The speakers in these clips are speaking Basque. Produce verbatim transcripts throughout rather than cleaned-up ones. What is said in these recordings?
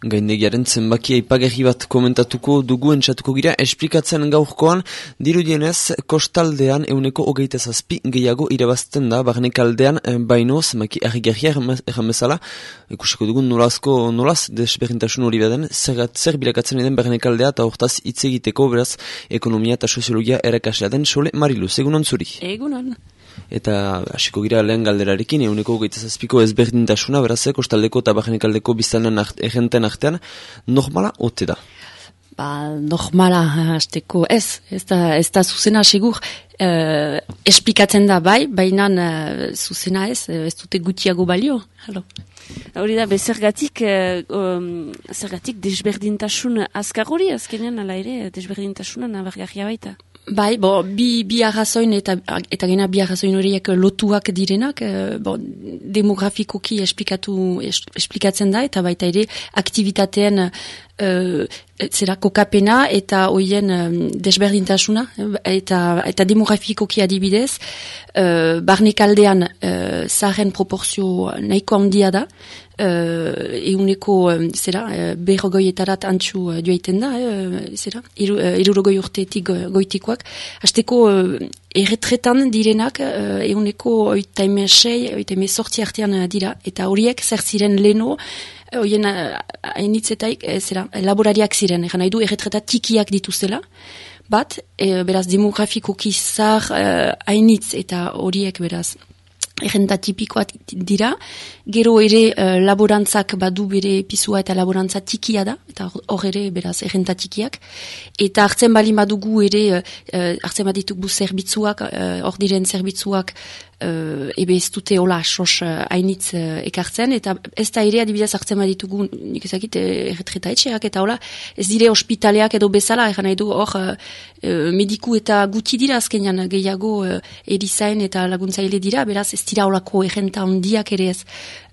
Gaindegiaren zenbaki aipagarri bat komentatuko dugu entzatuko gira, esplikatzen gaurkoan, dirudienez, kostaldean euneko hogeita zazpi gehiago irabazten da, barnekaldean baino zenbaki argigarria erran bezala, ikusiko dugun nolazko, nolaz desberdintasun hori baden, zer, zer bilakatzen den barnekaldea eta hortaz hitz egiteko, beraz, ekonomia eta soziologia erakaslea den Sole Mariluz, egunon zuri? Egunon. Eta hasiko gira lehen galderarekin, euneko hogeita zazpiko ezberdintasuna, beraz, kostaldeko eta barnekaldeko biztanen egenten artean, normala ote da? Ba, normala, hasteko ez, ez da, ez da zuzena segur, eh, esplikatzen da bai, baina eh, zuzena ez, ez dute gutiago balio. Halo. Hori da, bezergatik, eh, um, zergatik desberdintasun azkar hori, azkenean ala ere, desberdintasuna nabargarria baita. Bai, bo, bi, bi arrazoin eta, eta gena bi arrazoin horiek lotuak direnak, eh, bo, demografikoki esplikatu, es, esplikatzen da, eta baita ere aktivitateen Uh, zera kokapena eta hoien um, desberdintasuna eta, eta demografikoki adibidez uh, barnekaldean uh, zaren proporzio nahiko handia da uh, euneko um, zera uh, berrogoietarat antxu uh, joaiten da uh, zera irurogoi urteetik uh, goitikoak hasteko uh, erretretan direnak uh, euneko oitaime sei, oitaime sortzi artean uh, dira eta horiek zer ziren leno Oien hainitzetaik, e, zera, laborariak ziren, egan nahi du, erretreta tikiak dituzela, bat, e, beraz, demografikoki zar hainitz eta horiek, beraz, errenta tipikoak dira, gero ere uh, laborantzak badu bere pisua eta laborantza tikia da, eta hor ere beraz errenta tikiak, eta hartzen bali badugu ere, uh, hartzen baditugu zerbitzuak, hor uh, diren zerbitzuak, uh, ebe ez dute hola sos hainitz uh, uh, ekartzen, eta ez da ere adibidez hartzen baditugu, nik ezakit, erretreta etxeak, eta hola, ez dire ospitaleak edo bezala, egan nahi du hor uh, uh, mediku eta guti dira azkenean gehiago uh, erizain eta laguntzaile dira, beraz ez dira holako errenta handiak ere ez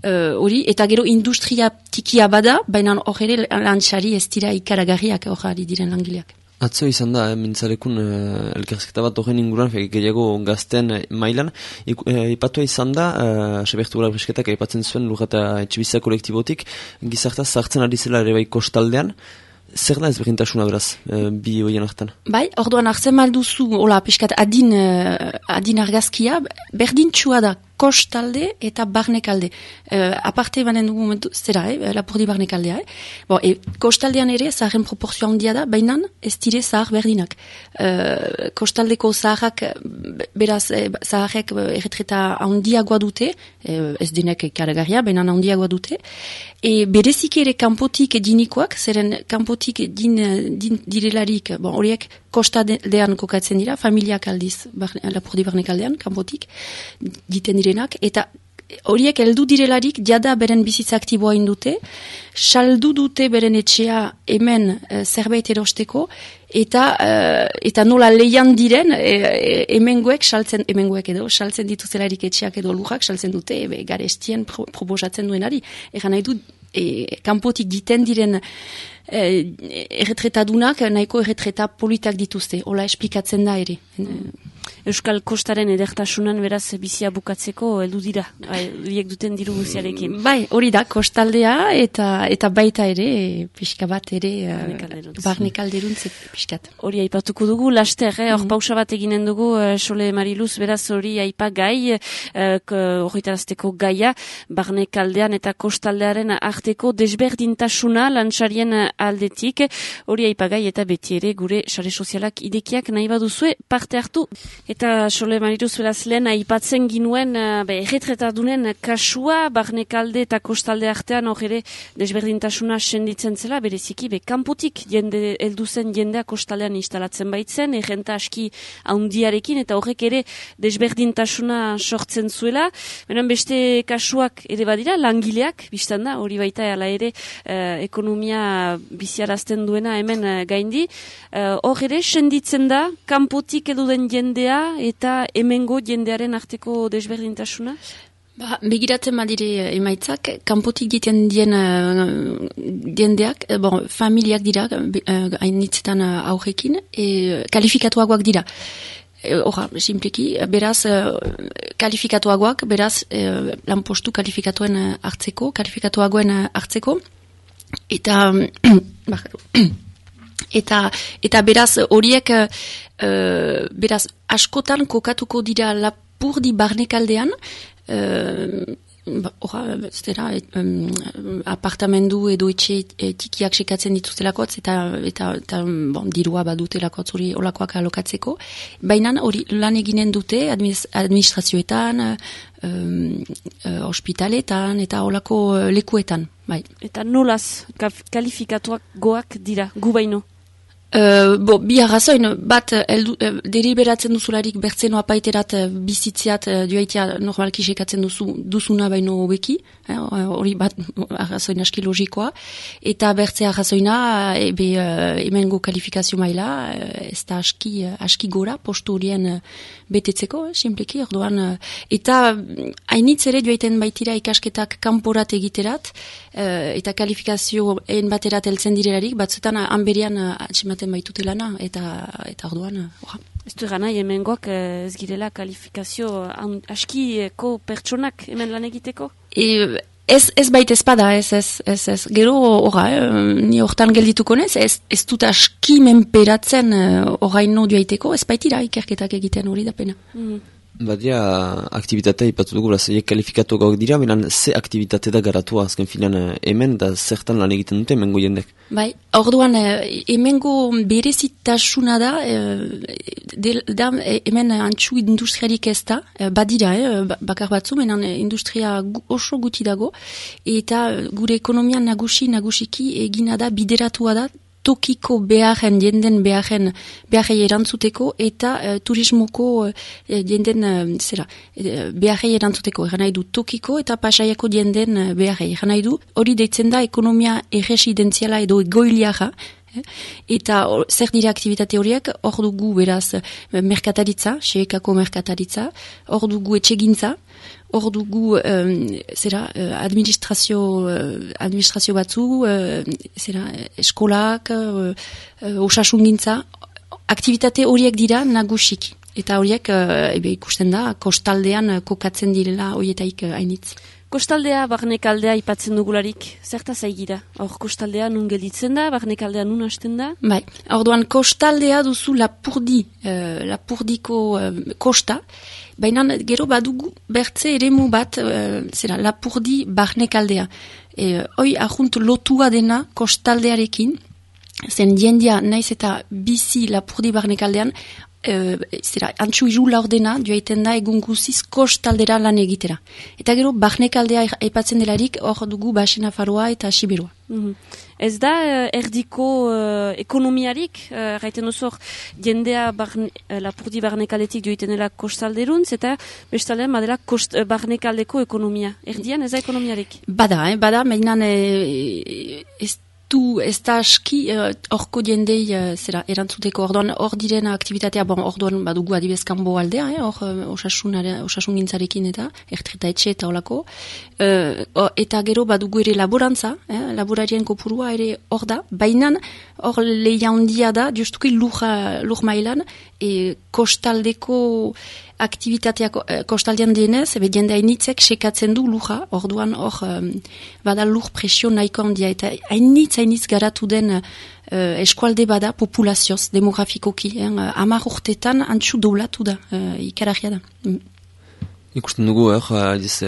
hori, uh, eta gero industria tikia bada, baina hor ere lantxari ez dira ikaragarriak hor ari diren langileak. Atzo izan da, eh, mintzalekun eh, elkarrizketa bat horren inguruan, gehiago gazten eh, mailan, ipatua izan da, eh, Sebertu Gula Brisketak aipatzen zuen lur eta etxibizia kolektibotik, gizartaz zartzen ari zela ere bai kostaldean, zer da ezberdintasuna beraz, e, bi hoien hartan? Bai, orduan hartzen malduzu, hola, peskat adin, uh, adin argazkia, berdintxua da kostalde eta barnekalde. Uh, aparte banen dugu momentu, zera, eh, lapurdi barnekaldea, eh? Bo, e, kostaldean ere, zaharen proporzio handia da, baina ez dire zahar berdinak. Uh, kostaldeko zaharrak, beraz, eh, zaharrek erretreta handiagoa dute, eh, ez denek karagarria, baina handiagoa dute, e, berezik ere kanpotik dinikoak, zeren kanpotik din, din direlarik, bon, horiek kostaldean kokatzen dira, familiak aldiz, barne, lapurdi barnekaldean, kanpotik, diten direnak, eta horiek heldu direlarik, jada beren bizitza aktiboa indute, saldu dute beren etxea hemen e, zerbait erosteko, eta e, eta nola leian diren, e, hemengoek saltzen, hemengoek edo, saltzen dituzelarik etxeak edo lujak, saltzen dute, ebe, garestien pro, proposatzen duenari, egan nahi du, e, kanpotik diten diren E, erretretadunak nahiko erretreta politak dituzte, hola esplikatzen da ere. Euskal Kostaren edertasunan beraz bizia bukatzeko heldu dira, horiek duten diru guziarekin. Bai, hori da, kostaldea eta eta baita ere, pixka bat ere, barnekalderuntz pixkat. Hori aipatuko dugu, laster, eh? Hor pausa bat eginen dugu, uh, Sole Mariluz, beraz hori aipa gai, horretarazteko uh, gaia, barnekaldean eta kostaldearen arteko desberdintasuna lantxarien aldetik, hori aipagai eta beti ere gure sare sozialak idekiak nahi baduzue parte hartu. Eta Sole Mariluz beraz lehen aipatzen ginuen uh, erretretadunen kasua, barnekalde eta kostalde artean hor ere desberdintasuna senditzen zela, bereziki be kanpotik jende helduzen jendea kostaldean instalatzen baitzen, errenta aski handiarekin eta horrek ere desberdintasuna sortzen zuela. Benen beste kasuak ere badira, langileak, biztan da, hori baita ala ere uh, ekonomia biziarazten duena hemen uh, gaindi. Hor uh, ere senditzen da, kanpotik edu den jendea eta hemengo jendearen arteko desberdintasuna? Ba, begiratzen badire emaitzak, kanpotik diten dien uh, diendeak, bon, familiak dira, hainitzetan uh, aurrekin, e, kalifikatuagoak dira. Horra, e, simpleki, beraz, uh, kalifikatuagoak, beraz, uh, lanpostu kalifikatuen uh, hartzeko, kalifikatuagoen uh, hartzeko, Eta, eta, eta beraz horiek, uh, beraz askotan kokatuko dira Lapurdi barnekaldean, uh, Hora, zera, um, apartamendu edo etxe e, tikiak sekatzen dituztelakotz eta, eta, eta bon, dirua badutelakotz hori olakoak alokatzeko. Baina hori lan eginen dute administrazioetan, um, uh, ospitaletan eta olako lekuetan. Bai. Eta nolaz kalifikatuak goak dira, gu baino? Uh, bo, bi arrazoin, bat eldu, uh, deliberatzen duzularik bertzeno apaiterat uh, bizitziat uh, duaitea normalki sekatzen duzu, duzuna baino hobeki, hori eh, bat arrazoin aski logikoa, eta bertze arrazoina uh, ebe uh, emengo kalifikazio maila uh, ez da aski, uh, aski gora postu horien uh, betetzeko, eh, simpleki, orduan, uh, eta hainitz ere duaiten baitira ikasketak kanporat egiterat, uh, eta kalifikazio en baterat eltzen direlarik, batzutan uh, hanberian uh, atximaten baitute lana, eta, eta orduan, orra. Ez du gana, hemengoak ez girela kalifikazio askiko pertsonak hemen lan egiteko? E, ez, ez baita espada, ez, ez, ez, ez. Gero, orra, eh, ni hortan geldituko nez, ez, ez dut aski menperatzen oraino duaiteko, ez baitira ikerketak egiten hori da pena. Mm. Badia, aktivitatea ipatu dugu, zeiek kalifikatu gauk dira, benan ze aktivitate da garatua azken filan hemen, da zertan lan egiten dute hemengo jendek? Bai, orduan, hemengo berezitasuna da, de, da hemen antxu industriarik ez da, badira, eh, bakar batzu, menan industria oso guti dago, eta gure ekonomian nagusi, nagusiki egina da, bideratua da, tokiko beharen, jenden beharen, beharrei erantzuteko eta uh, turismoko uh, jenden, uh, zera, uh, beharrei erantzuteko, eran nahi du tokiko eta pasaiako jenden uh, beharrei, eran nahi du, hori deitzen da ekonomia erresidenziala edo egoiliara, eh? Eta or, zer dira aktivitate horiek, hor dugu beraz uh, merkataritza, xeekako merkataritza, hor dugu etxegintza, hor dugu um, zera, uh, administrazio, uh, administrazio batzu, uh, zera, eskolak, uh, uh, osasungintza, aktivitate horiek dira nagusiki. Eta horiek uh, ebe ikusten da, kostaldean uh, kokatzen direla horietaik uh, hainitz. Kostaldea, barnekaldea ipatzen dugularik, zerta zaigira? Hor kostaldea nun gelditzen da, barnekaldea nun hasten da? Bai, orduan kostaldea duzu Lapurdi, uh, Lapurdiko uh, kosta, baina gero badugu bertze eremu bat, uh, zera, Lapurdi barnekaldea. E, hoi ahunt lotua dena kostaldearekin, zen jendia naiz eta bizi Lapurdi barnekaldean, Uh, zera, antxu iru laurdena duaiten da egun guziz kostaldera lan egitera. Eta gero, barnekaldea aipatzen delarik, hor dugu Basena Faroa eta Siberua. Mm-hmm. Ez da uh, erdiko uh, ekonomiarik, uh, gaiten duzu hor, jendea barne, uh, Lapurdi barnekaldetik duaiten dela kostalderuntz, eta bestalean badela kost, uh, barnekaldeko ekonomia. Erdian ez da ekonomiarik? Bada, eh, bada, mainan eh, ez du ez da aski horko uh, jendei uh, zera erantzuteko orduan hor diren aktivitatea, bon, orduan badugu adibez kanbo aldea, hor eh, osasun gintzarekin eta ertreta etxe eta olako, uh, eta gero badugu ere laborantza, eh, laborarien kopurua ere hor da, bainan hor lehia handia da, justuki lur, lur mailan, e, kostaldeko aktivitateak eh, kostaldean dienez, ebe jende hainitzek sekatzen du luja, orduan hor um, bada lur presio nahiko handia, eta hainitz hainitz garatu den uh, eskualde bada populazioz, demografikoki, eh, amar urtetan antxu doblatu da, uh, ikaragia da. Mm. Ikusten dugu, eh, diz,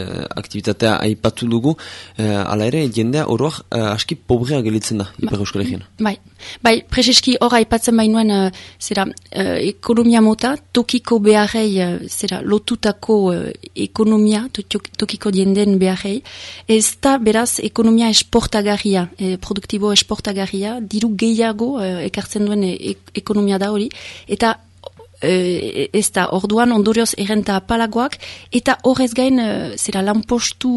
aktivitatea aipatu dugu, eh, ala ere, jendea oroak eh, aski pobrea gelitzen da, Ipar Euskal Herrian. Bai, bai, prezeski hor aipatzen bainuen, uh, zera, uh, ekonomia mota, tokiko beharrei, uh, zera, lotutako uh, ekonomia, tokiko jenden beharrei, ez da beraz ekonomia esportagarria, eh, produktibo esportagarria, diru gehiago uh, ekartzen duen e ekonomia da hori, eta Uh, ez da, orduan ondorioz errenta apalagoak, eta horrez gain, uh, zera, lanpostu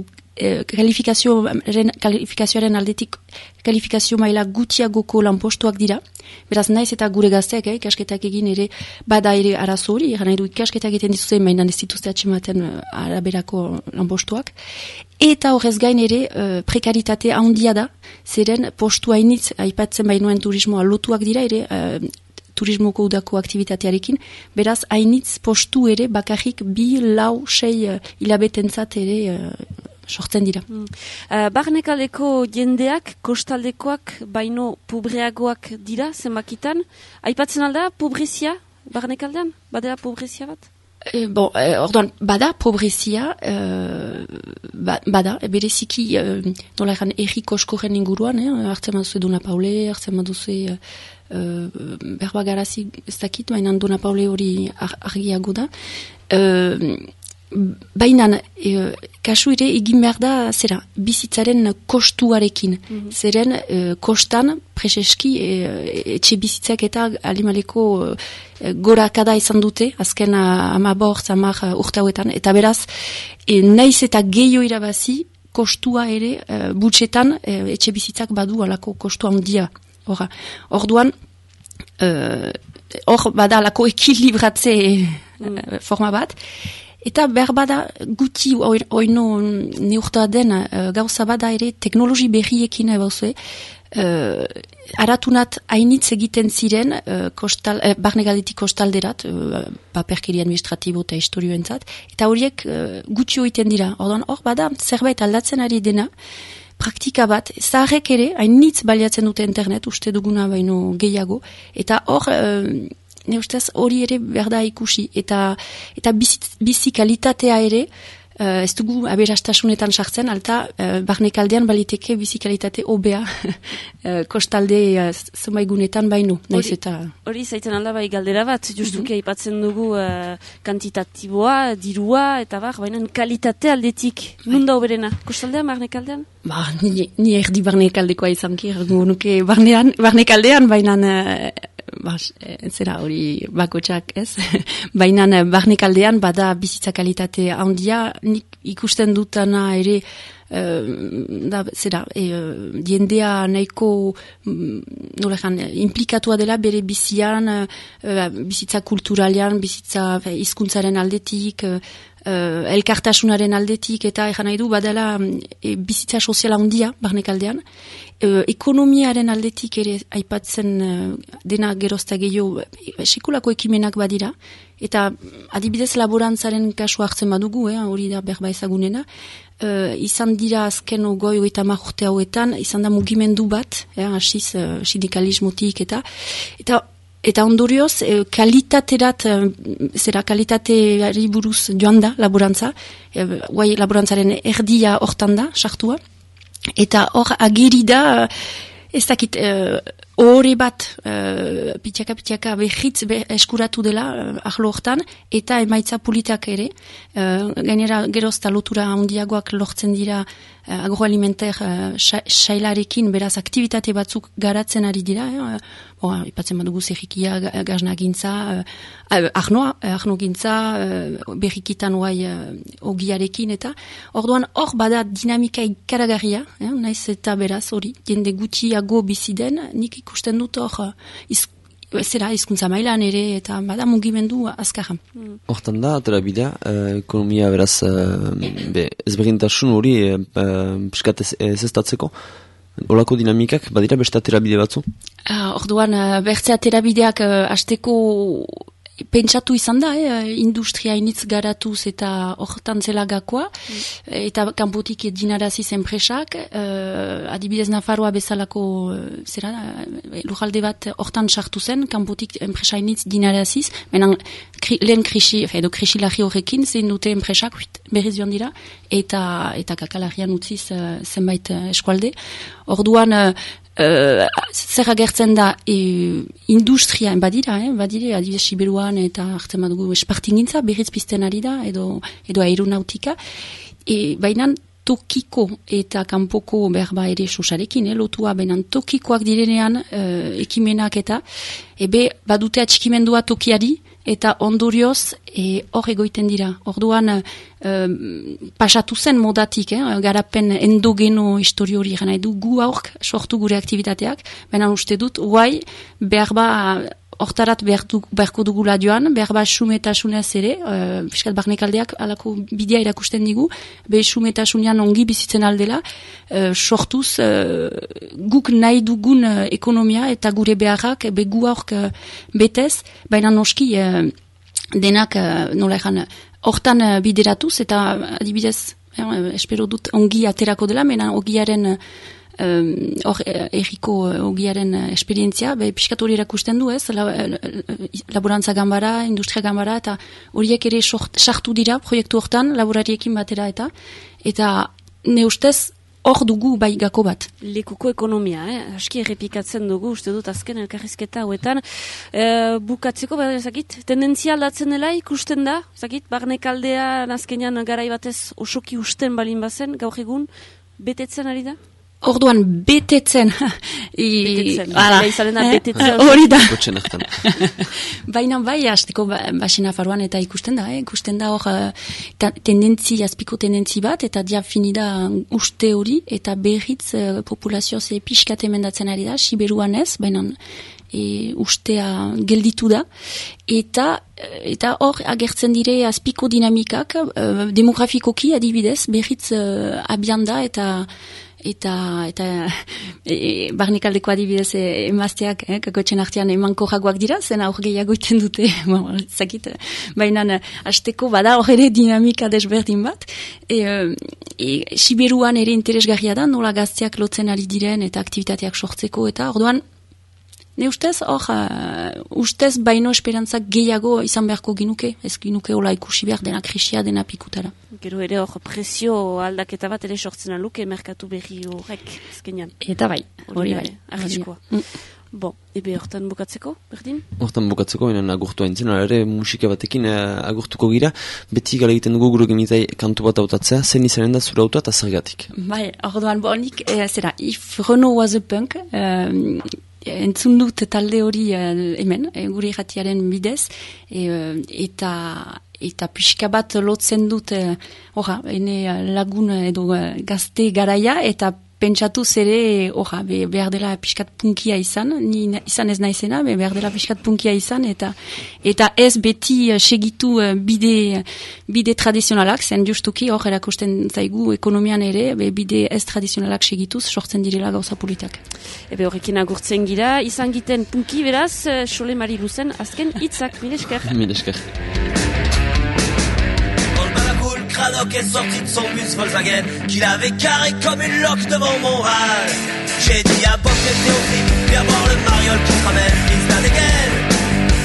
uh, kalifikazioaren, kalifikazioaren aldetik kalifikazio maila gutiagoko lanpostuak dira, beraz naiz eta gure gazteak, eh, ikasketak egin ere, bada ere arazo hori, eran nahi du ikasketak egiten dizuzen, mainan ez dituzte atxematen uh, araberako lanpostuak, eta horrez gain ere uh, prekaritate handia da, zeren postu hainitz, aipatzen bainuen turismoa lotuak dira ere, uh, turismoko udako aktivitatearekin, beraz, hainitz postu ere bakarrik bi, lau, sei uh, hilabetentzat ere uh, sortzen dira. Mm. Uh, Barnekaleko jendeak, kostaldekoak, baino pobreagoak dira, zenbakitan. Aipatzen alda, pobrezia, Barnekaldean? Badela pobrezia bat? E, bon, e, orduan, bada pobrezia, e, ba, bada, e, bereziki, e, nola egan, erriko eskoren inguruan, eh? Hartzen maduzu Dona Paule, hartzen maduzu e, e, berba garazi ez dakit, baina Dona Paule hori ar, argiago da. E, Baina, e, kasu ere egin behar da, zera, bizitzaren kostuarekin. Mm-hmm. Zeren, e, kostan, preseski, e, etxe bizitzak eta alimaleko e, gorakada izan dute, azken amabor, zamar urtauetan, eta beraz, e, naiz eta gehiago irabazi, kostua ere, e, butxetan, e, etxe bizitzak badu alako kostua handia. Hora, orduan, hor, e, bada alako ekilibratze mm. forma bat, eta behar bada guti oino neurta den uh, gauza bada ere teknologi berriekin ebauzue, uh, aratunat hainitz egiten ziren uh, kostal, uh, barnegaldetik kostalderat, uh, paperkeri administratibo eta historioentzat, eta horiek uh, gutxi oiten dira. Ordan hor bada zerbait aldatzen ari dena, praktika bat, zaharrek ere, hainitz baliatzen dute internet, uste duguna baino gehiago, eta hor... Uh, ne ustez hori ere berda ikusi eta eta bizi, bizi kalitatea ere uh, ez dugu aberastasunetan sartzen alta uh, barnekaldean baliteke bizi kalitate hobea uh, kostalde uh, zenbaigunetan baino naiz eta hori zaiten alda bai galdera bat justuki aipatzen mm-hmm. dugu uh, kantitatiboa dirua eta bar baina kalitate aldetik nunda hoberena kostaldean barnekaldean ba ni, ni erdi barnekaldekoa izanki nuke barnean barnekaldean baina uh, Bas, zera hori bakotxak ez, baina barnekaldean bada bizitza kalitate handia, nik ikusten dutana ere, uh, da, zera, e, jendea nahiko, nola jan, implikatua dela bere bizian, uh, bizitza kulturalean, bizitza hizkuntzaren aldetik, uh, Uh, elkartasunaren aldetik eta egan nahi du badala e, bizitza soziala handia barnekaldean. Uh, ekonomiaren aldetik ere aipatzen uh, dena gerozta gehiago e, sekulako ekimenak badira eta adibidez laborantzaren kasu hartzen badugu, eh, hori da berba ezagunena. Uh, izan dira azken ogoi eta marrurte hauetan, izan da mugimendu bat, eh, asiz uh, sindikalismotik eta eta Eta ondorioz, eh, kalitaterat, eh, zera kalitateari buruz joan da laborantza, eh, guai laborantzaren erdia hortan da, sartua, eta hor ageri da, ez dakit, ohore bat, uh, pitxaka pitxaka behitz be, eskuratu dela uh, ahlo hortan, eta emaitza politak ere, uh, gainera gerozta lotura handiagoak lortzen dira uh, agroalimenter uh, sailarekin, beraz aktivitate batzuk garatzen ari dira, eh? Boa, ipatzen badugu zerrikia, gazna gintza, uh, ahnoa, ahno gintza, uh, berrikitan oai uh, ogiarekin, eta orduan hor bada dinamika ikaragarria, eh? Naiz eta beraz hori, jende gutxiago biziden, nik ikusten dut hor, iz, zera hizkuntza mailan ere, eta bada mugimendu azkarra. Hortan da, atera bidea, uh, ekonomia beraz, uh, be, ezberdintasun hori, uh, piskat ez, ez estatzeko, olako dinamikak, badira beste aterabide batzu? Uh, orduan, uh, bertze aterabideak uh, hasteko pentsatu izan da, eh, industria initz garatuz eta hortan zela gakoa, mm. eta kanpotik dinaraziz enpresak, eh, adibidez Nafarroa bezalako zera, lujalde bat hortan sartu zen, kanpotik enpresa initz dinaraziz, menan kri, lehen krisi, edo krisilarri horrekin, zein dute enpresak berriz joan dira, eta, eta kakalarian utziz uh, zenbait uh, eskualde. Orduan, uh, Uh, zer agertzen da e, industria, badira, eh, badire, adibidez Siberuan eta hartzen badugu espartingintza, berriz pizten ari da, edo, edo aeronautika, e, bainan tokiko eta kanpoko berba ere sosarekin, eh, lotua, bainan tokikoak direnean uh, ekimenak eta, ebe badute atxikimendua tokiari, eta ondorioz hor e, egoiten dira. Orduan e, pasatu zen modatik, eh, garapen endogeno histori hori gana edu gu aurk sortu gure aktivitateak, baina uste dut, guai, behar ba hortarat beharko dugula joan, behar ba sumetasunez ere, uh, fiskat barnekaldeak alako bidea irakusten digu, be sumetasunean ongi bizitzen aldela, uh, sortuz uh, guk nahi dugun uh, ekonomia eta gure beharrak, be gu aurk uh, betez, baina noski uh, denak uh, nola egan, hortan uh, bideratuz eta adibidez eh, espero dut ongi aterako dela, mena ogiaren hor um, erriko ogiaren esperientzia, be piskat hori erakusten du ez, la, laborantza gambara, industria gambara, eta horiek ere sartu dira proiektu hortan, laborariekin batera eta, eta ne ustez hor dugu bai gako bat. Lekuko ekonomia, eh? Aski errepikatzen dugu, uste dut azken elkarrizketa hauetan. E, bukatzeko, bada ezakit, tendentzia aldatzen dela ikusten da, ezakit, barnekaldea azkenean garai batez osoki usten balin bazen, gaur egun, betetzen ari da? Orduan, betetzen. I, betetzen, ala, izaren da, betetzen. Hori da. Baina bai, hasteko basina faruan eta ikusten da, eh? ikusten da hor tendentzi, azpiko tendentzi bat, eta diafinida uste hori, eta berriz uh, populazio ze pixkat emendatzen ari da, siberuan ez, baina e, ustea gelditu da, eta eta hor agertzen dire azpiko dinamikak, uh, demografikoki adibidez, berriz uh, abian da, eta eta eta e, barnikaldeko adibidez emazteak, eh, kakotxen artean emanko jagoak dira, zen aur gehiago iten dute, bon, zakit, baina hasteko bada hor ere dinamika desberdin bat, e, e, Siberuan ere interesgarria da, nola gazteak lotzen ari diren eta aktivitateak sortzeko, eta orduan, ne ustez, hor, uh, ustez baino esperantzak gehiago izan beharko ginuke, ez ginuke hola ikusi behar dena krisia, dena pikutara. Gero ere hor presio aldaketa bat ere sortzen aluke merkatu berri horrek ezkenean. Eta bai, hori bai. Arriskoa. Mm. Bo, ebe hortan bukatzeko, berdin? Hortan bukatzeko, enen agurtu haintzen, ere musika batekin uh, agurtuko gira, beti gala egiten dugu gure genitai kantu bat autatzea, zen izanen da zure autua eta zergatik. Bai, orduan, bo, nik, eh, zera, if Renault was a punk, um, entzun dut talde hori uh, hemen, e, gure irratiaren bidez, e, eta eta pixka bat lotzen dut, horra, uh, ene lagun edo uh, gazte garaia, eta pentsatu zere, horra, be, behar dela pixkat punkia izan, ni izan ez naizena, be, behar dela pixkat punkia izan, eta eta ez beti uh, segitu uh, bide, bide tradizionalak, zen justuki hor erakusten zaigu ekonomian ere, be, bide ez tradizionalak segituz, sortzen direla gauza politak. Ebe horrekin agurtzen gira, izan giten punki beraz, Xole Mariluzen, azken hitzak, mille esker. Mille esker. Cradoc est sorti de son bus Volkswagen qu'il avait carré comme une loque devant mon râle. J'ai dit à Bob et Théophile, viens voir le mariole qui se ramène, il se la dégaine.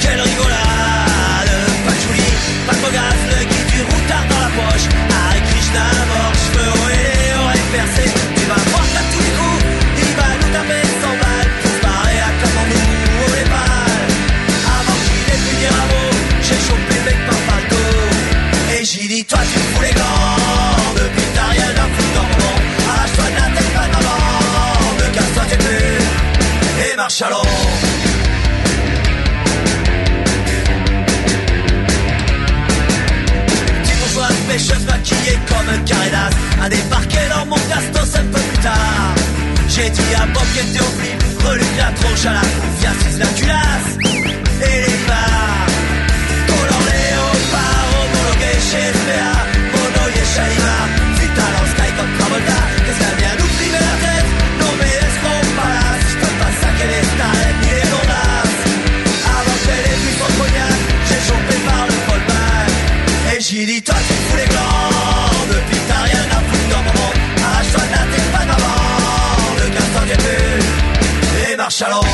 Quelle rigolade, pas de Julie, pas de Mogas, le guide du routard dans la poche. Hare Krishna mort, cheveux hauts et les oreilles percées. Tu vas voir qu'à tous les coups, il va nous taper cent balles. Tout se barrer à comment nous, au Népal. Avant qu'il ait pu dire un mot, j'ai chopé le mec par bateau. Et j'ai dit toi tu me fous les gants, depuis que t'as rien à foutre dans mon nom. Arrache-toi de la tête, pas d'avant, me casse-toi tes bulles et marche à l'eau. Petite bourgeoise pêcheuse maquillée comme un carré d'as a débarqué dans mon castos un peu plus tard. J'ai dit à Bob et Théophile, reluque la tronche à la confiance, c'est la culasse et les bars. Color léopard, homologué chez S P A, Mono Yeshaïma, Vital en Sky comme Travolta. Qu'est-ce qu'elle vient nous priver la tête? Non mais escroc palace, je peux pas saquer les starettes ni les gondasses. Avant qu'elle ait vu son cognac, j'ai chopé par le fallback. Et j'ai dit toi tu me fous les glands, depuis que t'as rien à foutre dans mon monde. Arrache-toi de la tête, pas d'avant, le casse-toi des bulles et marche à l'eau.